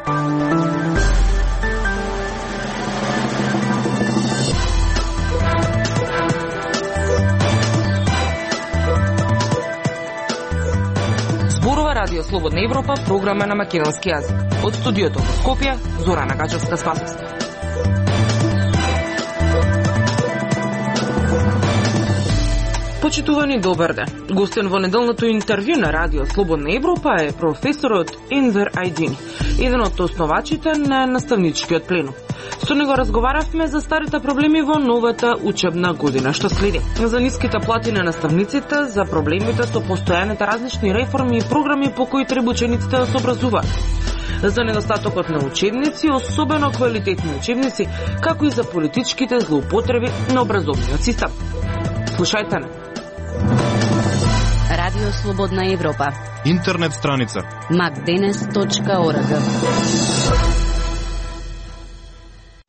Радио Слободна Европа, програма на македонски јазик. Од студиото во Скопје, Зорана Гачевска-Спасовска. Почитувани, добар ден. Гостен во неделното интервју на Радио Слободна Европа е професорот Енвер Ајдини, еден од основачите на наставничкиот пленум. Со него разговаравме за старите проблеми во новата учебна година, што следи. За ниските плати на наставниците, за проблемите со постојаните различни реформи и програми по кои треба учениците да се образуваат. За недостатокот на учебници, особено квалитетни учебници, како и за политичките злоупотреби на образовниот систем. Слушајте не. Радио Слободна Европа. Интернет страница macdenes.org.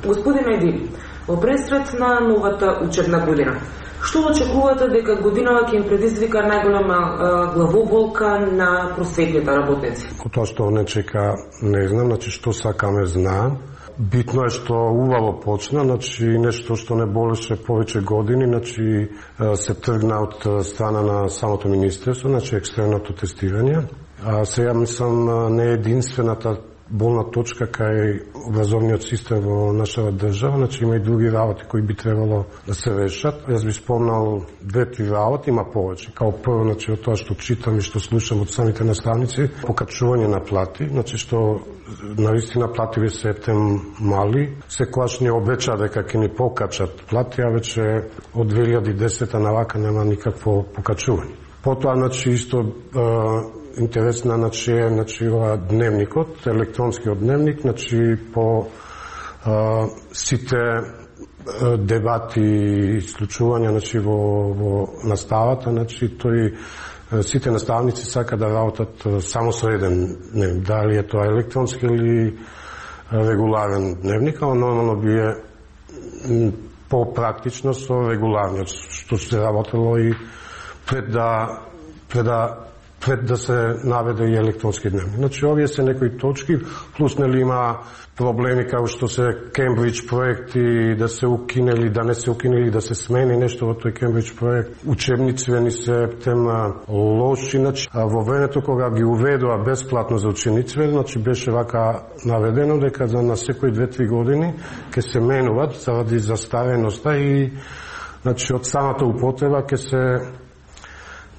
Господин Ајдини, во пресред на новата учебна година, што очекувате дека годинава ќе им предизвика најголема главоболка на просветните работници? Тоа што не чека, не знам, значи што сакаме знаам. Битно е што увало почна, значи нешто што не болеше повеќе години, значи се тргна од страна на самото министерство, значи екстерното тестирање. Сега мислам не единствената болна точка кај образовниот систем во нашата држава, значи има и други работи кои би требало да се решат. Јас би спомнал 2-3 работи, има повеќе. Као прво, значи од тоа што читам и што слушам од самите наставници, покачување на плати, значи што навистина платите се тем мали. Секогаш ни обеча дека ќе ни покачат плати, а веќе од 2010 навака нема никакво покачување. Потоа, значи, исто интересна, значи дневникот, електронскиот дневник, значи по сите дебати и случувања, значи во наставата, значи тој сите наставници сака да работат само со еден дневник, дали е тоа електронски или регуларен дневник, а нормално би е попрактично со регуларниот, што се работело и пред да се наведе и електронски дневник. Значи, овие се некои точки, плюс нели има проблеми како што се Кембридж проекти, да се укинели, да не се укинели, да се смени нешто во тој Кембридж проект. Учебниците ни се тема лоши, значи, во времето кога ги уведоа бесплатно за учениците, значи беше вака наведено дека на секои 2-3 години ќе се менуваат заради застареноста и значи од самата употреба ќе се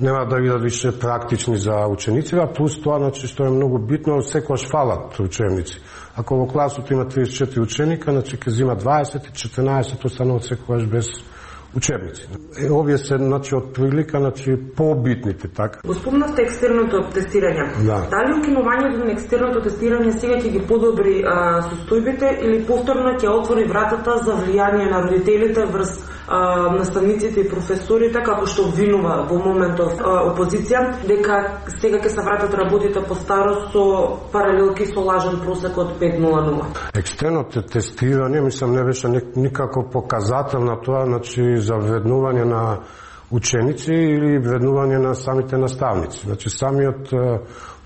нема да бидат више практични за учениците, а плюс тоа, значи, што е многу битно, секогаш фалат учебници. Ако во класот има 34 ученика, значи ќе зима 20 и 14 остануваат секогаш без учебници. Овие се, значи, од прилика, значи, побитните, така. Го спомнавте екстерното тестирање. Да. Дали укинувањето на екстерното тестирање сега ќе ги подобри состојбите или повторно ќе отвори вратата за влијание на родителите врз наставниците и професорите, како што обвинува во моментов опозиција, дека сега ќе се вратат работите по старост со паралелки со лажен просек од 5.00. Екстерното тестирање, мислам, не беше никако показател на тоа, значи, за вреднување на ученици или вреднување на самите наставници. Значи, самиот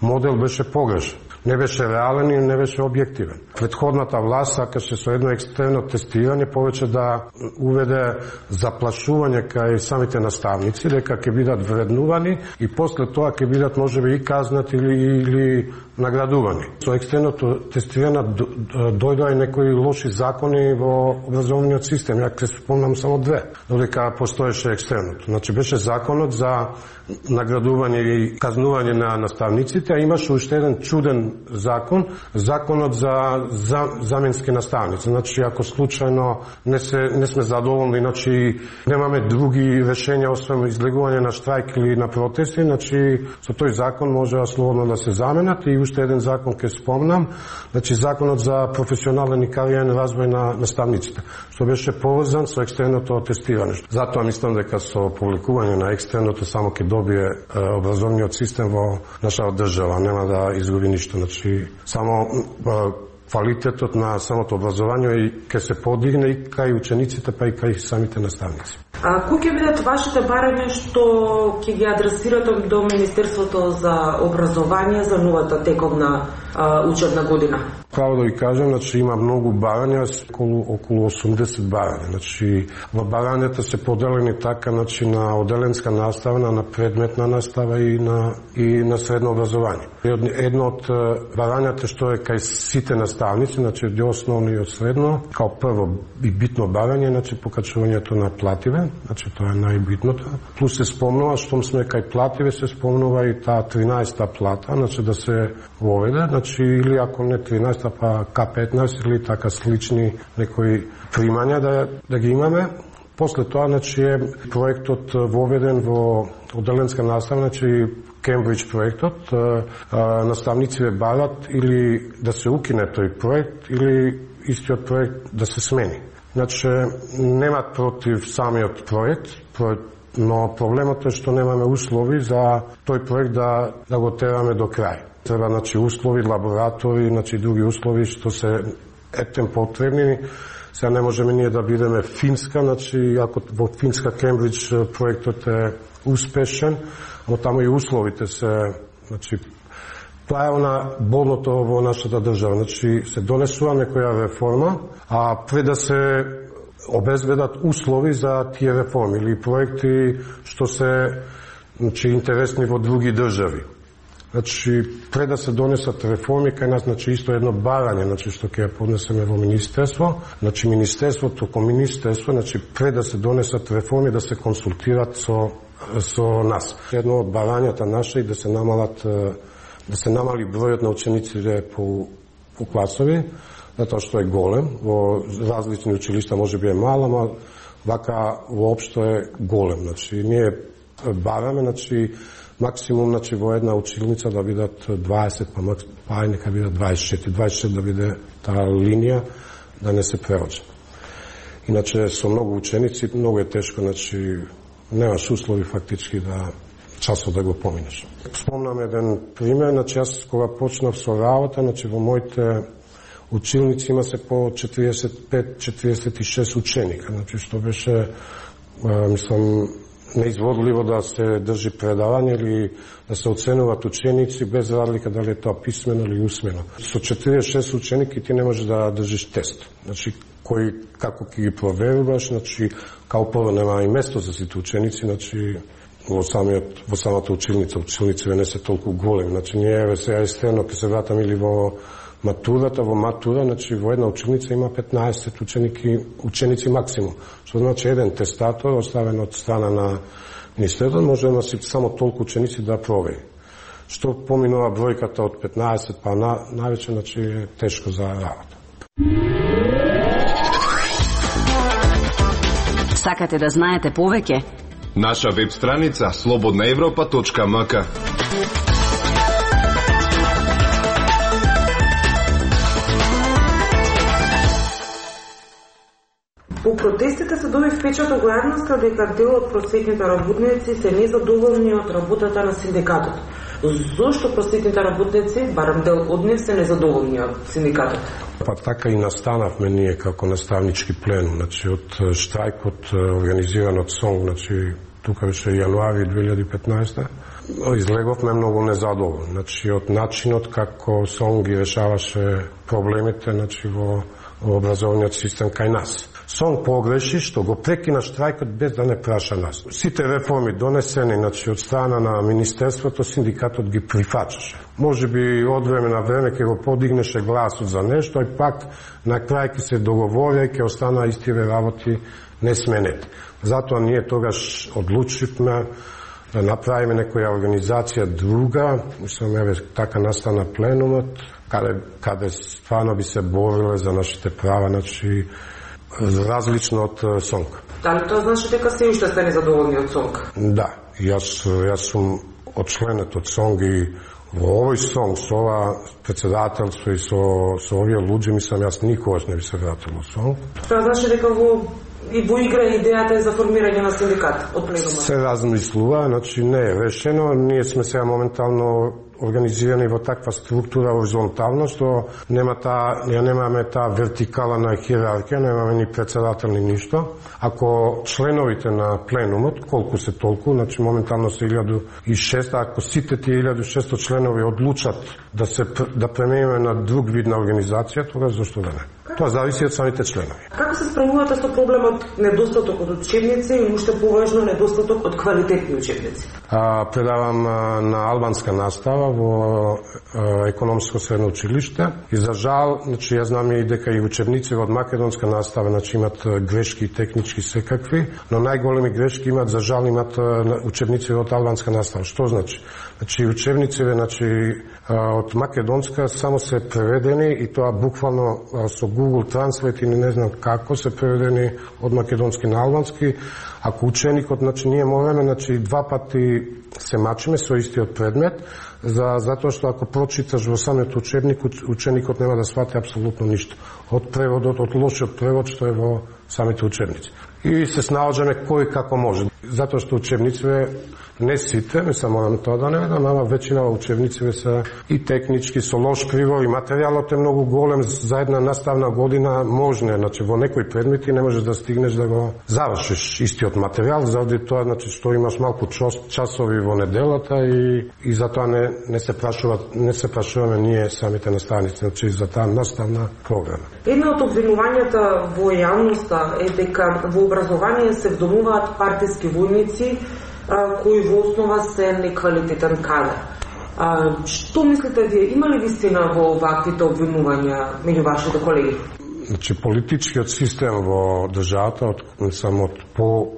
модел беше погрешен. Не беше реален и не беше објективен. Претходната власт сакаше со едно екстерно тестирање повеќе да уведе заплашување кај самите наставници, дека ќе бидат вреднувани и после тоа ќе бидат можеби и казнати или наградувани. Со екстерното тестирање дојдоа и некои лоши закони во образовниот систем. Ја ќе спомнам само 2, додека постоеше екстерното. Значи беше законот за наградување и казнување на наставниците, а имаше уште еден чуден закон, законот за заменски наставници. Значи, ако случајно не сме задоволни, значи немаме други решенја освен излегување на штрајк или на протести, значи со тој закон може слободно да се заменат. И уште еден закон ќе спомнам, значи законот за професионален и кариерен развој на наставниците, што беше поврзан со екстерното тестирање. Затоа мислам дека со публикување на екстерното само ќе добие образовниот систем во нашата држава, нема да изгуби ништо. Значи, само квалитетот на самото образование и ќе се подигне и кај учениците, па и кај самите наставници. Кои ќе бидат вашите барања што ќе ги адресирате до Министерството за образование за новата тековна учебна година? Право да ви кажам, значи има многу барања, околу 80 барања. Значи во барањата се поделени така, значи на оделенска настава, на предметна настава и на средно образование. Едно од барањата што е кај сите наставници, значи од основно и од средно, као прво и битно барање, значи покачувањето на плативе, значи тоа е најбитното. Плюс се спомнува, штом сме кај плативе, се спомнува и таа 13-та плата, значи да се воведе, значи или ако не 13-та, па К15 или така слични некои примања да ги имаме. После тоа, значи, е проектот воведен во оделенска настава, значи Кембридж проектот, наставниците барат или да се укине тој проект или истиот проект да се смени. Значи, немат против самиот проект, но проблемот е што немаме услови за тој проект да го тераме до крај. Треба, значи, услови, лаборатори, значи, други услови што се ептен потребни. Сега не можеме ние да бидеме Финска, значи, ако во Финска Кембридж проектот е успешен, но таму и условите се, значи, тоа е болното во нашата држава. Значи, се донесува некоја реформа, а пред да се обезбедат услови за тие реформи или проекти што се, значи, интересни во други држави. Значи, пред да се донесат реформи, кај нас, значи, исто едно барање, значи, што ќе ја поднесеме во Министерство. Значи, Министерството, ко Министерство, значи, пред да се донесат реформи, да се консултират со нас. Едно од барањата наша и да се намали бројот на учениците по класови, затоа што е голем. Во различни училишта може би е мала, ама вака воопшто е голем. Значи, ние бараме, значи, максимум, значи, во една училница да бидат 20, па нека бидат 24 да биде таа линија, да не се преводжа. Иначе со многу ученици многу е тешко, значи, немаш услови фактички да часот да го поминеш. Спомнам еден пример, значи, јас кога почнав со работа, значи, во моите училници има се по 45-46 ученика, значи, што беше, мислам, неизводливо да се држи предавање или да се оценуваат ученици без разлика дали е тоа писмено или усмено. Со 46 ученики ти не можеш да држиш тест. Значи, како ќе ги проверуваш, значи, као прво нема и место за сите ученици, значи, во самата училница. Училниците не се толку големи. Значи, ние сега естествено ќе се вратам или во матурата, значи, во една училница има 15 ученици максимум. Што значи еден тестатор, оставен од страна на Министерството, може да носи само толку ученици да провери. Што поминува бројката од 15 па навече, значи, е тешко за работа. Сакате да знаете повеќе? Наша веб страница slobodnaevropa.mk. По протестите се доби впечаток во јавноста дека дел од просветните работници се незадоволни од работата на синдикатот. Зошто просветните работници, барам дел од нив, се незадоволни од синдикатот? Па така и настанавме ние како наставнички пленум, значи од штрајкот организиран од СОНГ, значи тука беше јануари 2015, излеговме многу незадоволни, значи од начинот како СОНГ ги решаваше проблемите, значи во образовниот систем кај нас. СОНГ погреши што го прекина штрајкот без да не праша нас. Сите реформи донесени, значи, од страна на Министерството, синдикатот ги прифачаше. Може би од време на време ќе го подигнеше гласот за нешто, и пак на крај ќе се договорија и ќе остана истиве работи несменети. Затоа ние тогаш одлучивме да направиме некоја организација друга, мислам, еве така настана пленумот, каде стварно би се бориле за нашите права, значи, различно од СОНГ. Дали тоа значи дека се уште сте незадоволни од СОНГ? Да, јас сум очленет од СОНГ и во овој СОНГ, со ова председателство и со овие луѓе, мислам, јас никогаш не би се вратил во СОНГ. Тоа значи дека во игра идејата за формирање на синдикат од пленумот? Се размислува, значи не е решено. Ние сме сега моментално организирани во таква структура хоризонтално, што немаме таа вертикала на хиерархија, немаме ни председател ни ништо. Ако членовите на пленумот, колку се толку, значи моментално се 1600, ако сите тие 1600 членови одлучат да преминеме на друг вид на организација, тогаш зашто да не? Тоа зависи од самите членови. Како се справувате со проблемот недостаток од учебници и уште поважно недостаток од квалитетни учебници? Предавам на албанска настава во економско средно училиште и за жал, значи јас знам и дека и учебници од македонска настава значи имат грешки технички секакви, но најголеми грешки имат за жал имат учебници од албанска настава. Што значи? Значи учебниците од македонска само се преведени и тоа буквално со Google Translate или не знам како се преведени од македонски на албански. Ако ученикот, значи ние мораме, значи 2 пати се мачиме со истиот предмет, затоа што ако прочиташ во самиот учебник, ученикот нема да свати апсолутно ништо. Од преводот, од лошиот превод што е во самите учебници. И се снаоѓаме кој како може. Затоа што учебниците не сите, не само морам тоа да не ведам, ама веćina учебници се и технички, со лош криво, и материјалот е многу голем за една наставна година можне, значи во некои предмети не можеш да стигнеш да го завршиш истиот материјал, заради тоа значи што имаш малку часови во неделата и затоа не се прашуваме ние самите наставници, значи за таа наставна програма. Една од обвинувањата во јавноста е дека во образование се вдомуваат партиски војници кои во основа се неквалитетен кадар. Што мислите вие, има ли вистина во ваквите обвинувања меѓу вашите колеги? Значи политичкиот систем во државата само од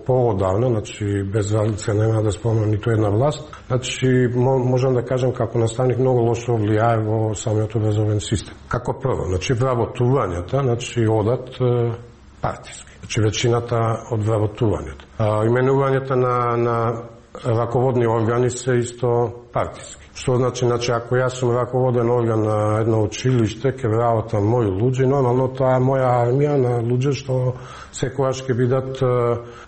поодавна, значи без разлика нема да спомнам ниту една власт, значи можам да кажам како наставник многу лошо влијае во самиот образовен систем. Како прво, значи вработувањата, значи одат партиски. Значи веćiната од вработувањето. Именувањата на раководни органи се исто партиски. Што значи ако јас сум раководен орган на едно училиште, ќе работам мои луѓе, нормално тоа е моја армија на луѓе што секогаш ќе бидат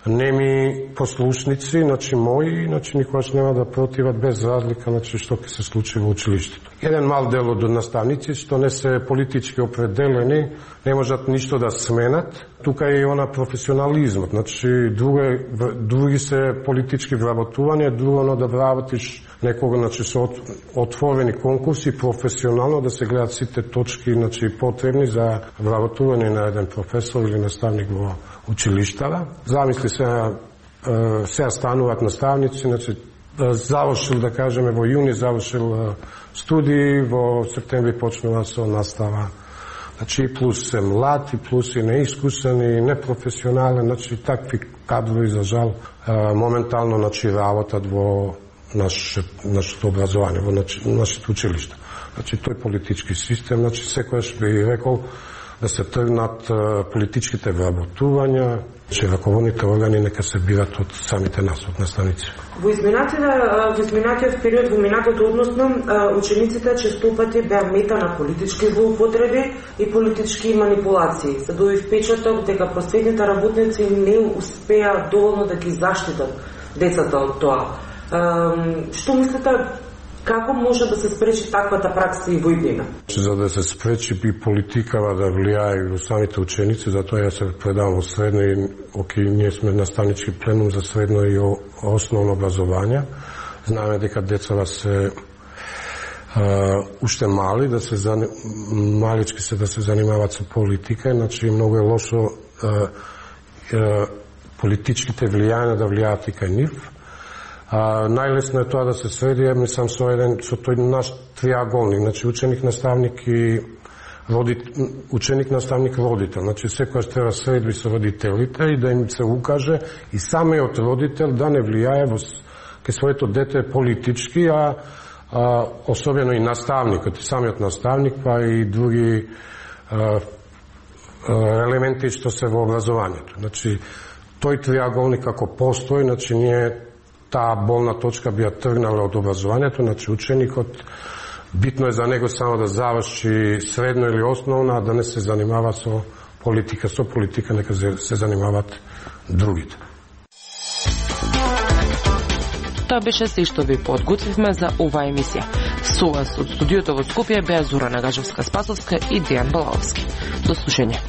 неми послушници, значи мои, значи никогаш нема да противат без разлика значи што ќе се случи во училиштето. Еден мал дел од наставници што не се политички определени, не можат ништо да сменат. Тука е и она професионализмот, значи други се политички вработување, друго да вработиш некога, значи со отворени конкурси, професионално да се гледат сите точки, значи потребни за вработување на еден професор или наставник во училиштата. Замисли се стануваат наставници, значи завршил, да кажеме, во јуни завршил студии, во септември почнува со настава. Значи плюс се млад, и плюс и неискусен, и непрофесионален, значи такви кадрови за жал моментално значи работат во нашето образование, во нашите училишта. Значи тој политички систем, значи секојаш би рекол да се тргнат политичките вработувања, че раководните органи нека се бират од самите нас, од наставници. Во изминатиот период, во минатото односно, учениците честопати беа мета на политички злоупотреби и политички манипулации. Се доби впечаток дека просветните работници не успеа доволно да ги заштитат децата од тоа. Што мислите, како може да се спречи таквата пракса и во иднина? За да се спречи би политикава да влијае во самите ученици, затоа ја се предавам во средно и ние сме наставнички пленум за средно и основно образование. Знаеме дека децата се уште мали, малички се да се занимаваат со политика, значи многу е лошо политичките влијања да влијаат и кај нив. Најлесно е тоа да се среди, мислам, со тој наш триаголник, значи ученик, наставник и ученик, наставник, родител. Значи секојаш треба средби со родителите и да им се укаже и самиот родител да не влијае кај своето дете политички, особено и наставникот, и самиот наставник, па и други елементи што се во образованието. Значи тој триаголник како постои, значи ние таа болна точка би ја тргнала од образованието, значи ученикот битно е за него само да заврши средно или основна, а да не се занимава со политика. Со политика нека се занимават другите. Тоа беше се што ви подготвивме за оваа емисија. Со вас од студиото во Скопје беа Зора Нагажевска-Спасовска и Дејан Балаовски. До слушање.